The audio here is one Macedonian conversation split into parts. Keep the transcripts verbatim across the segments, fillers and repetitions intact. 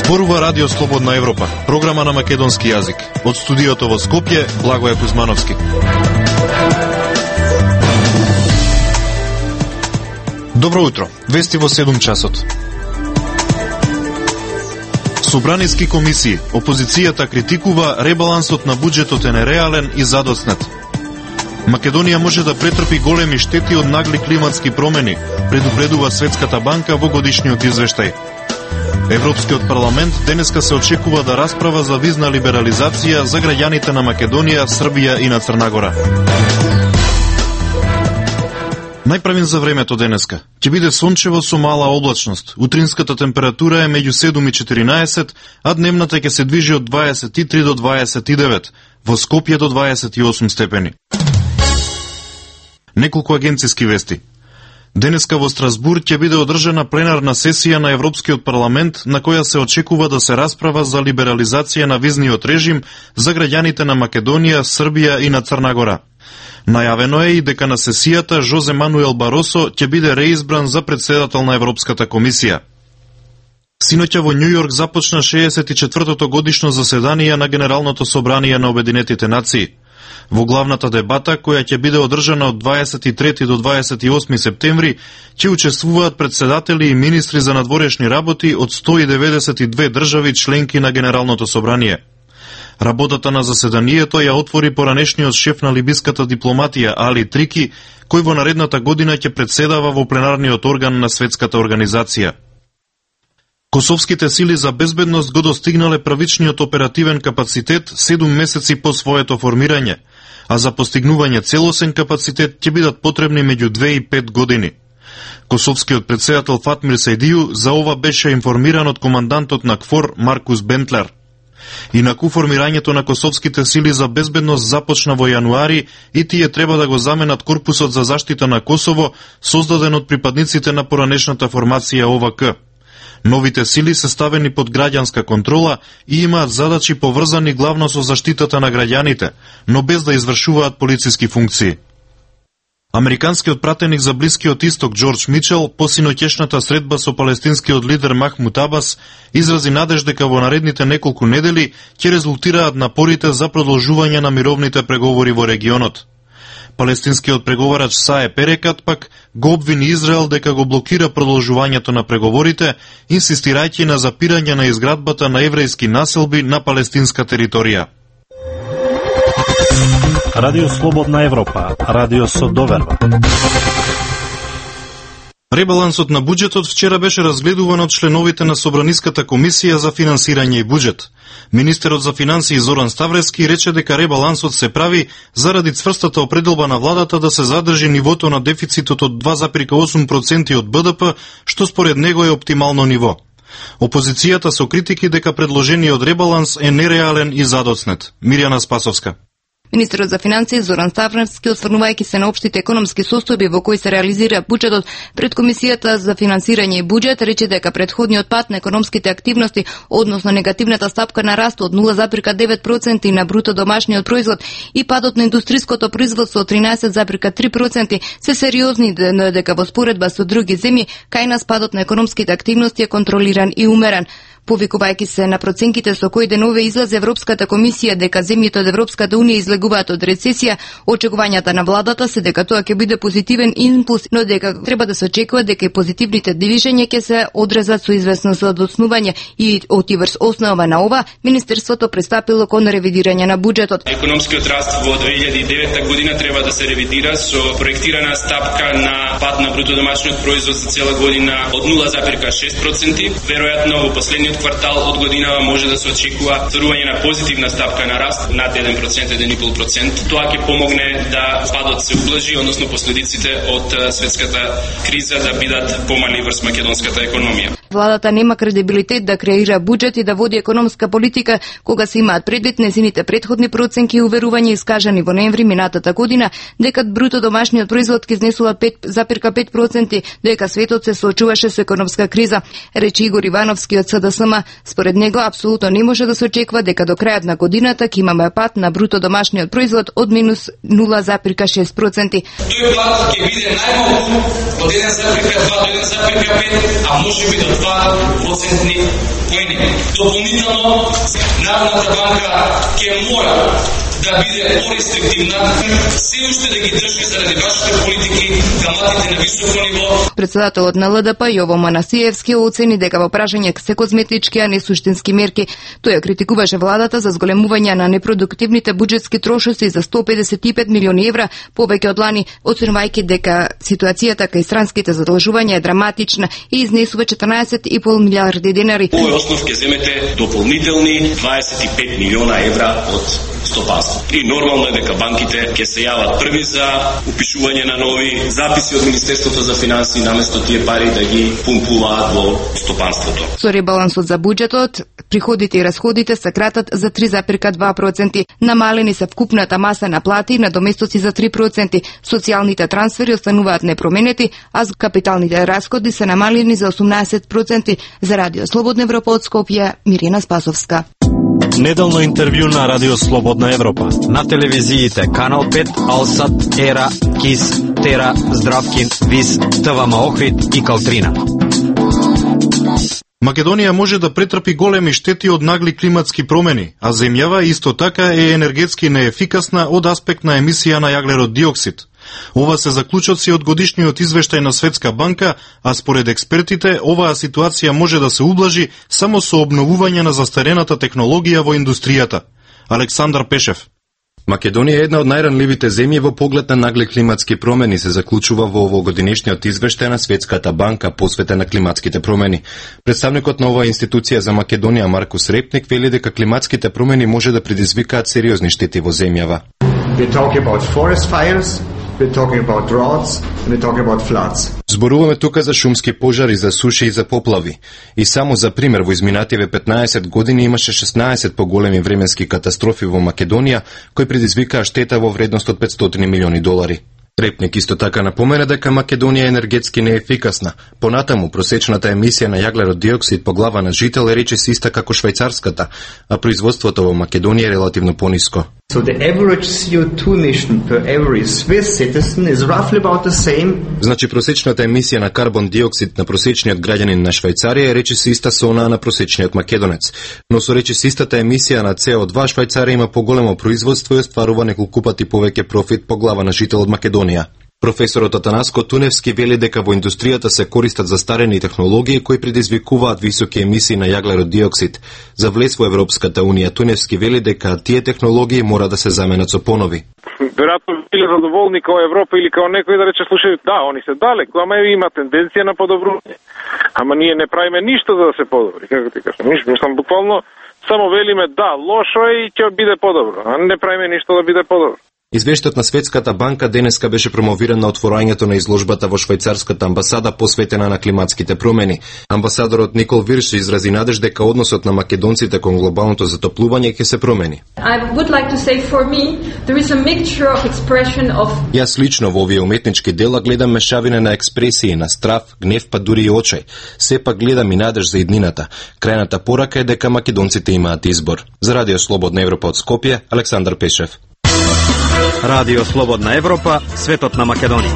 Зборува Радио Слободна Европа, програма на македонски јазик. Од студиото во Скопје, Благоје Кузмановски. Добро утро, вести во седум часот. Собраниски комисии, опозицијата критикува ребалансот на буџетот е нереален и задоснет. Македонија може да претрпи големи штети од нагли климатски промени, предупредува Светската банка во годишниот извештај. Европскиот парламент денеска се очекува да расправа за визна либерализација за граѓаните на Македонија, Србија и на Црна Гора. Најправен за времето денеска. Ќе биде сончево со мала облачност. Утринската температура е меѓу седум и четиринаесет, а дневната ќе се движи од дваесет и три до дваесет и девет, во Скопје до дваесет и осум степени. Неколку агенциски вести. Денеска во Страсбург ќе биде одржана пленарна сесија на Европскиот парламент на која се очекува да се расправа за либерализација на визниот режим за граѓаните на Македонија, Србија и на Црна Гора. Најавено е и дека на сесијата Жозе Мануел Баросо ќе биде реизбран за председател на Европската комисија. Синоќа во Њу Јорк започна шеесет и четвртото годишно заседание на Генералното собрание на Обединетите нации. Во главната дебата, која ќе биде одржана од дваесет и трети до дваесет и осми септември, ќе учествуваат председатели и министри за надворешни работи од сто и деветдесет и две држави членки на Генералното собрание. Работата на заседанието ја отвори поранешниот шеф на либиската дипломатија Али Трики, кој во наредната година ќе председава во пленарниот орган на Светската организација. Косовските сили за безбедност го достигнале правичниот оперативен капацитет седум месеци по своето формирање, а за постигнување целосен капацитет ќе бидат потребни меѓу две и пет години. Косовскиот председател Фатмир Сајдију за ова беше информиран од командантот на КФОР Маркус Бентлер. Инаку формирањето на косовските сили за безбедност започна во јануари и тие треба да го заменат Корпусот за заштита на Косово, создаден од припадниците на поранешната формација О В К. Новите сили се ставени под граѓанска контрола и имаат задачи поврзани главно со заштитата на граѓаните, но без да извршуваат полициски функции. Американскиот пратеник за Блискиот Исток Џорџ Мичел по синоќешната средба со палестинскиот лидер Махмут Абас изрази надеж дека во наредните неколку недели ќе резултираат напорите за продолжување на мировните преговори во регионот. Палестинскиот преговарач Сае Перекат пак го обвини Израел дека го блокира продолжувањето на преговорите, инсистирајќи на запирање на изградбата на еврејски населби на палестинска територија. Радио Слободна Европа, радио со доверба. Ребалансот на буџетот вчера беше разгледуван од членовите на Собраниската комисија за финансирање и буџет. Министерот за финансии Зоран Ставрески рече дека ребалансот се прави заради цврстата определба на владата да се задржи нивото на дефицитот од два зарез и осум проценти од Б Д П, што според него е оптимално ниво. Опозицијата со критики дека предложениот ребаланс е нереален и задоцнет. Мирјана Спасовска. Министерот за финансии Зоран Ставрески, осврнувајќи се на општите економски состојби во кои се реализира буџетот пред Комисијата за финансирање и буџет, рече дека претходниот пат на економските активности, односно негативната стапка на раст од нула зарез девет проценти на бруто домашниот производ и падот на индустриското производство од тринаесет зарез три проценти се сериозни, дека во споредба со други земји, кај нас падот на економските активности е контролиран и умерен. Повикувајќи се на проценките со кои денове излезе Европската комисија дека земјите од Европската унија излегуваат од рецесија, очекувањата на владата се дека тоа ќе биде позитивен импулс, но дека треба да се очекува дека и позитивните движења ќе се одрезат со известно задоцнување и од врз основа на ова, Министерството пристапило кон ревидирање на буџетот. Економскиот раст во две илјади и девета година треба да се ревидира со проектирана стапка на пад на бруто домашниот производ за цела година од нула зарез шест проценти. Веројатно во последниот квартал од годинава може да се очекува стварување на позитивна стапка на раст над еден процент, еден и пол процент. Тоа ќе помогне да падот се ублажи, односно последиците од светската криза да бидат помали врз македонската економија. Владата нема кредибилитет да креира буџет и да води економска политика кога се имаат предвид незините претходни проценки и уверувања искажани во ноември минатата година дека бруто домашниот производ ќе изнесува пет зарез пет проценти, дека светот се соочуваше со економска криза, рече Игор Ивановски од С Д С М. Според него апсолутно не може да се очекува дека до крајот на годината ќе имаме пат на бруто домашниот производ од минус нула зарез шест проценти. Тој пат ќе биде најмалку од еден зарез два до еден зарез пет, а може би до пат во центни поени. Дополнително, Народната банка ќе мора да биде порестриктивна, се уште да ги држи заради вашите политики каматите на високо ниво. Председателот на Л Д П Јово Манасиевски оцени дека во прашање се козметички, а не суштински мерки. Тој ја критикуваше владата за зголемување на непродуктивните буџетски трошоци за сто педесет и пет милиони евра, повеќе од лани, оценувајќи дека ситуацијата кај странските задолжувања е драматична и изнесува четрнаесет и пол милиарди денари. Овој основ ќе земете дополнителни дваесет и пет милиона евра од стопанство. И нормално е дека банките ќе се јават први за упишување на нови записи од Министерството за финансии наместо тие пари да ги пумпуваат во стопанството. Со ребалансот за буџетот, приходите и расходите се кратат за три запирка два проценти. Намалени се вкупната маса на плати и надоместоци за три проценти. Социјалните трансфери остануваат непроменети, а капиталните расходи се намалени за осумнаесет проценти. За Радио Слободна Европа од Скопје, Мирина Спасовска. Неделно интервју на Радио Слободна Европа. На телевизиите Канал пет, Алсат, Ера, Кис, Тера, Здравкин, Вис, ТВМ Охрид и Калтрина. Македонија може да претрпи големи штети од нагли климатски промени, а земјава исто така е енергетски неефикасна од аспект на емисија на јаглерод диоксид. Ова се заклучоци од годишниот извештај на Светска банка, а според експертите, оваа ситуација може да се ублажи само со обновување на застарената технологија во индустријата. Александар Пешев. Македонија е една од најранливите земји во поглед на нагли климатски промени, се заклучува во овогодинешниот извештај на Светската банка посветен на климатските промени. Представникот на оваа институција за Македонија Маркус Репник вели дека климатските промени може да предизвикаат сериозни штети во земјава. We talk about forest fires. We're talking about droughts and we're talking about floods. Зборуваме тука за шумски пожари, за суши и за поплави. И само за пример, во изминативе петнаесет години имаше шеснаесет поголеми временски катастрофи во Македонија, кои предизвикаа штета во вредност од петстотини милиони долари. Репник исто така напомена дека Македонија е енергетски неефикасна. Понатаму, просечната емисија на јаглерод диоксид по глава на жител е речиси иста како швајцарската, а производството во Македонија е релативно пониско. So the average C O two emission per every Swiss citizen is roughly about the same. Значи просечната емисија на карбон диоксид на просечниот граѓанин на Швајцарија е речиси иста со онаа на просечниот македонец. Но со речиси истата емисија на С O два Швајцарија има поголемо производство и остварува неколку пати повеќе профит по глава на жител од Македонија. Професорот Атанаско Туневски вели дека во индустријата се користат застарени технологии кои предизвикуваат високи емисии на јаглерод диоксид. За влез во Европската унија Туневски вели дека тие технологии мора да се заменат со понови. Веројатно биле задоволни као Европа или као некој да рече слушај, да, они се далеку, ама има тенденција на подобрување. Ама ние не правиме ништо за да се подобри, како ти кажам. Ништо, мислам буквално само велиме да, лошо е и ќе биде подобро, а не правиме ништо да биде подобро. Извештајот на Светската банка денеска беше промовиран на отворањето на изложбата во швајцарската амбасада посветена на климатските промени. Амбасадорот Никол Вирш изрази надеж дека односот на македонците кон глобалното затоплување ќе се промени. I would like to say for me there is a mixture of expression of Јас лично во овие уметнички дела гледам мешавина на експресии на страв, гнев па дури и очај. Сепак гледам и надеж за иднината. Крајната порака е дека македонците имаат избор. За Радио Слободна Европа од Скопје, Александар Пешев. Радио Слободна Европа, светот на Македонија.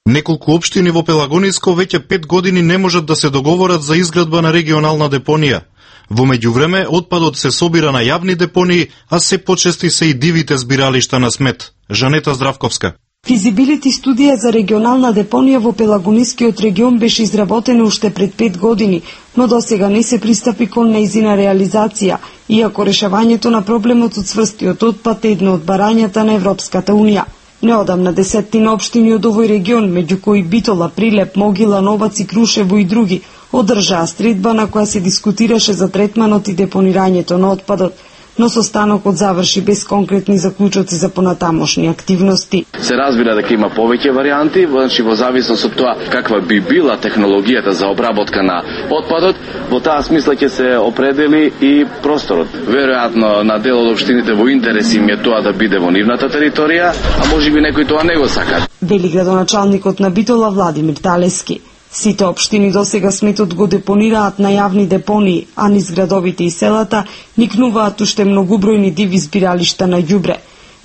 Неколку општини во Пелагониско веќе пет години не можат да се договорат за изградба на регионална депонија. Во меѓувреме, отпадот се собира на јавни депонии, а се почести се и дивите збиралишта на смет. Жанета Здравковска. Физибилити студија за регионална депонија во Пелагонискиот регион беше изработена уште пред пет години, но досега не се пристапи кон нејзина реализација, иако решавањето на проблемот од цврстиот отпад е едно од барањата на Европската унија. Неодамна десеттина општини од овој регион, меѓу кои Битола, Прилеп, Могила, Новац и Крушево и други, одржаа средба на која се дискутираше за третманот и депонирањето на отпадот, но состанокот заврши без конкретни заклучоци за понатамошни активности. Се разбира дека има повеќе варијанти, значи во зависност од тоа каква би била технологијата за обработка на отпадот, во таа смисла ќе се определи и просторот. Веројатно на дел од општините во интерес им е тоа да биде во нивната територија, а можеби некој тоа не го сака. Вели градоначалникот на Битола Владимир Талески. Сите општини досега сметот го депонираат на јавни депонии, а низ градовите и селата никнуваат уште многубројни диви збиралишта на ѓубре.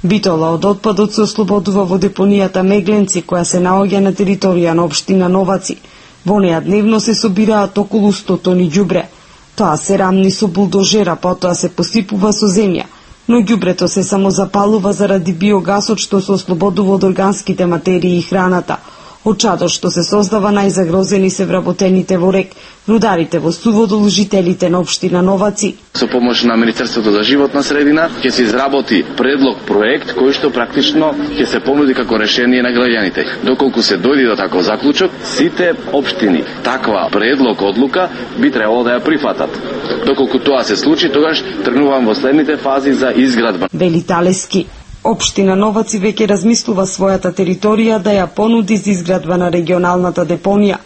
Битола од отпадот се ослободува во депонијата Мегленци, која се наоѓа на територија на општина Новаци. Во неа дневно се собираат околу сто тони ѓубре. Тоа се рамни со булдожера, потоа се посипува со земја. Но ѓубрето се само запалува заради биогасот што се ослободува од органските материи и храната. Од чадот што се создава најзагрозени се вработените во рек, рударите во Суводол, жителите на општина Новаци. Со помош на Министерството за животна средина ќе се изработи предлог проект кој што практично ќе се понуди како решение на граѓаните. Доколку се дојде до таков заклучок, сите општини таква предлог одлука би требало да ја прифатат. Доколку тоа се случи, тогаш тргнувам во следните фази за изградба. Вели Талески. Општина Новаци веќе размислува својата територија да ја понуди за изградба на регионалната депонија.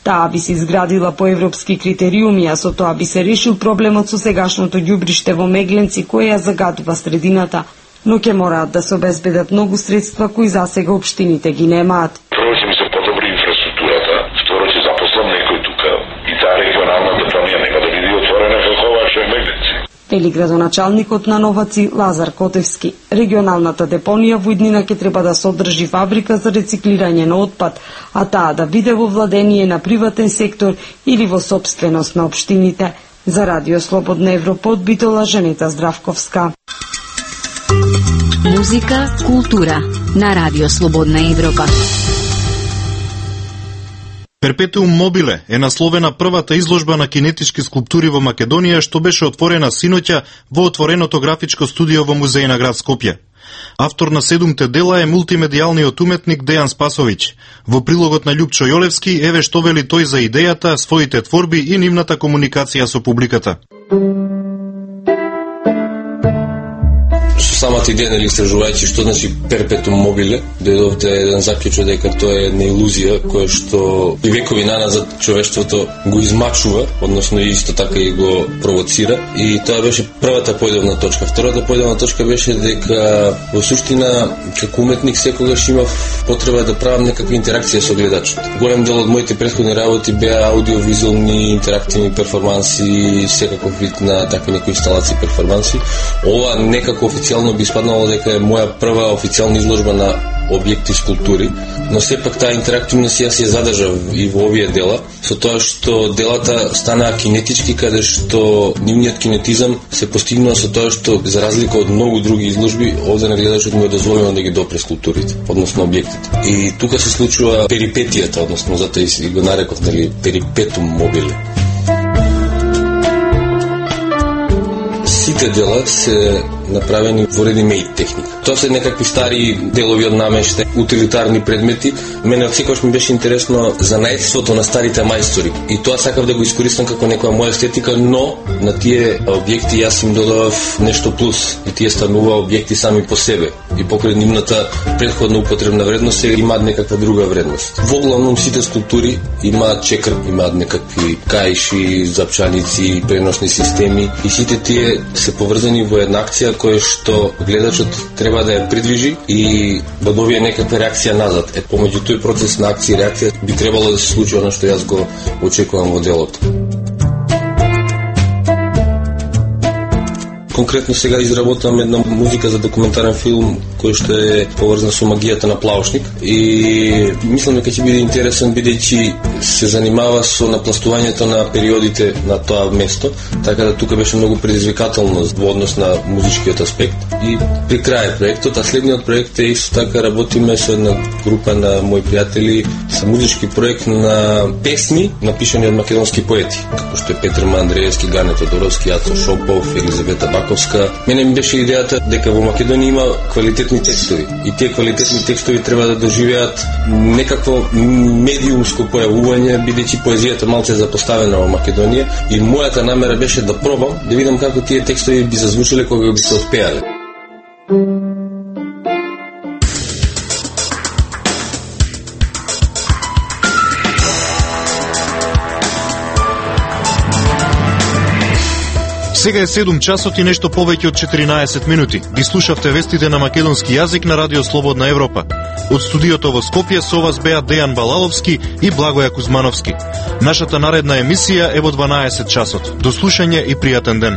Таа би се изградила по европски критериуми, а со тоа би се решил проблемот со сегашното ѓубриште во Мегленци кој ја загадува средината. Но ќе мораат да се обезбедат многу средства кои засега општините ги немаат. Прво ќе ми се подобри инфраструктурата, второ ќе запослам некој тука и таа регионална депонија нека да биде отворена како ова што е Мегленци. Вели градоначалникот на Новаци Лазар Котевски. Регионалната депонија во иднина ќе треба да содржи фабрика за рециклирање на отпад, а таа да биде во владение на приватен сектор или во сопственост на општините. За Радио Слободна Европа од Битола, Женета Здравковска. Музика, култура на Радио Слободна Европа. Перпетуум мобиле е насловена првата изложба на кинетички скулптури во Македонија што беше отворена синоќа во отвореното графичко студио во музеј на град Скопје. Автор на седумте дела е мултимедијалниот уметник Дејан Спасовиќ. Во прилогот на Љупчо Јолевски еве што вели тој за идејата, своите творби и нивната комуникација со публиката. Самата идеја, нели, истражувајќи што значи перпетум мобиле, дојдовте еден заклучок дека тоа е една илузија која што и векови наназад човештвото го измачува, односно исто така и го провоцира, и тоа беше првата појдовна точка. Втората појдовна точка беше дека во суштина како уметник секогаш имав потреба да правам некаква интеракција со гледачот. Голем дел од моите претходни работи беа аудиовизуални, интерактивни перформанси, секаков вид на такви некои инсталации перформанси. Ова некако официјално би спаднало дека е моја прва официјална изложба на објекти скулптури, но сепак таа интерактивност ја се задржа и во овие дела, со тоа што делата станаа кинетички, каде што нивниот кинетизам се постигнува со тоа што, за разлика од многу други изложби, овде на гледачот му е дозволено да ги допре скулптурите, односно објектите. И тука се случува перипетијата, односно затоа и го нареков, нели, перипетум мобиле. Сите дела се направени во ready-made техника. Тоа се некакви стари делови од намештен, утилитарни предмети. Мене од секогаш ми беше интересно за најдството на старите мајстори. И тоа сакав да го искористам како некоја моја естетика, но на тие објекти јас им додавав нешто плюс. И тие станува објекти сами по себе. И покрај нивната претходна употребна вредност се имаат некаква друга вредност. Во главном сите скулптури имаат чекр, имаат некакви каиши, запчаници, преносни системи и сите тие се поврзани во една акција која што гледачот треба да ја придвижи и да добие некаква реакција назад. Е, помеѓу тој процес на акција и реакција би требало да се случи оно што јас го очекувам во делото. Конкретно сега изработувам една музика за документарен филм кој што е поврзана со магијата на Плаушник и мислам дека ќе биде интересен бидејќи се занимава со напластувањето на периодите на тоа место, така да тука беше многу предизвикателно во однос на музичкиот аспект. И при крај проектот, а следниот проект е исто така работиме со една група на мои пријатели со музички проект на песни напишани од македонски поети, како што е Петар Андреевски, Гане Тодоровски, Ацо Шопов, Елизавета Баковска. Мене ми беше идејата дека во Македонија има квалитетни текстови и тие квалитетни текстови треба да доживеат некакво медиумско појавување, бидејќи поезијата малце запоставена во Македонија и мојата намера беше да пробам да видам како тие текстови би зазвучеле кога би се отпеале. Сега е седум часот и нешто повеќе од четиринаесет минути. Ги слушавте вестите на македонски јазик на Радио Слободна Европа. Од студиото во Скопје со вас беа Дејан Балаловски и Благоја Кузмановски. Нашата наредна емисија е во дванаесет часот. До слушање и пријатен ден.